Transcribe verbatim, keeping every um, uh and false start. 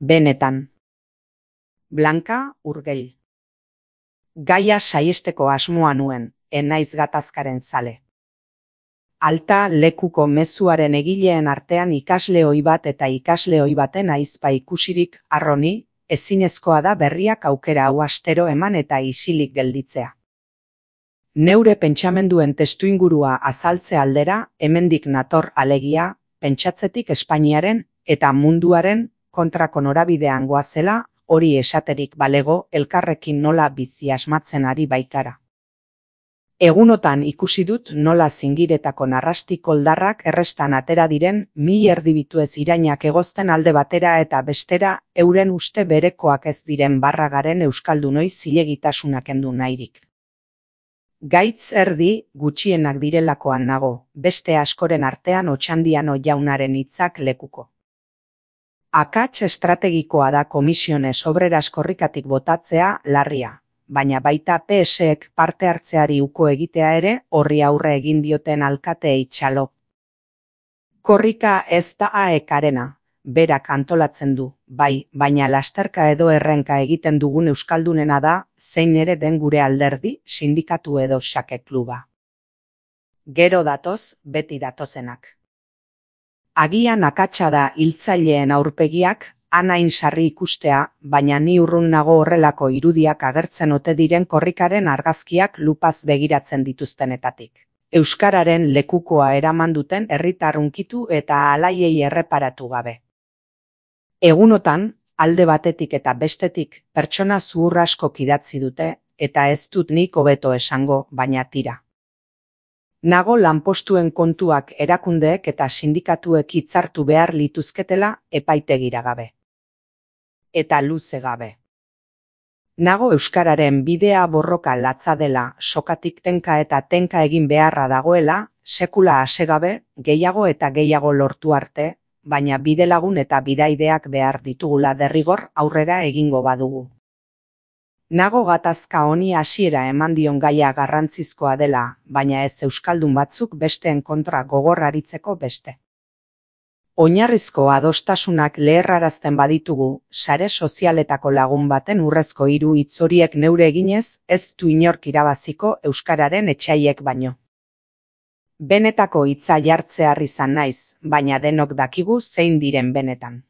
Benetan. Blanka Urgell. Gaia saiesteko asmoa nuen, enaiz gatazkaren zale. Alta lekuko mezuaren egileen artean ikasle ohi bat eta ikasle ohi baten aizpa ikusirik arroni, ezinezkoa da berriak aukera hau astero eman eta isilik gelditzea. Neure pentsamenduen testuingurua azaltze aldera, hemendik nator alegia, pentsatzetik Espainiaren eta munduaren kontrako norabidean goazela, hori esaterik balego elkarrekin nola bizi asmatzen ari baikara. Egunotan ikusi dut nola zingiretako narrasti koldarrak errestan atera diren mi erdibituez irainak egozten alde batera eta bestera euren uste berekoak ez diren barragaren euskaldunoi zilegitasunak kendu nahirik. Gaitz erdi gutxienak direlakoan nago, beste askoren artean Otxandiano jaunaren hitzak lekuko. Akats estrategikoa da Komisiones Obreras korrikatik botatzea larria, baina baita P S ek parte hartzeari uko egitea ere horri aurre egin dioten alkateei txalo. Korrika ez da aekarena, berak antolatzen du, bai, baina lasterka edo errenka egiten dugun euskaldunena da, zein ere den gure alderdi, sindikatu edo xake kluba. Gero datoz, beti datozenak. Agian akatsa da hiltzaileen aurpegiak, anain sarri ikustea, baina ni urrun nago horrelako irudiak agertzen ote diren korrikaren argazkiak lupaz begiratzen dituztenetatik. Euskararen lekukoa eraman duten herritar hunkitu eta alaiei erreparatu gabe. Egunotan, alde batetik eta bestetik, pertsona zuhur askok idatzi dute, eta ez dut nik hobeto esango, baina tira. Nago lanpostuen kontuak erakundeek eta sindikatuek hitzartu behar lituzketela epaitegira gabe. Eta luze gabe. Nago euskararen bidea borroka latza dela, sokatik tenka eta tenka egin beharra dagoela, sekula asegabe, gehiago eta gehiago lortu arte, baina bidelagun eta bidaideak behar ditugula derrigor aurrera egingo badugu. Nago gatazka honi hasiera eman dion gaia garrantzizkoa dela, baina ez euskaldun batzuk besteen kontra gogor aritzeko beste. Oinarrizko adostasunak leherrarazten baditugu, sare sozialetako lagun baten urrezko hiru hitz horiek neure eginez, ez du inork irabaziko euskararen etsaiek baino. Benetako hitza jartzear izan naiz, baina denok dakigu zein diren benetan.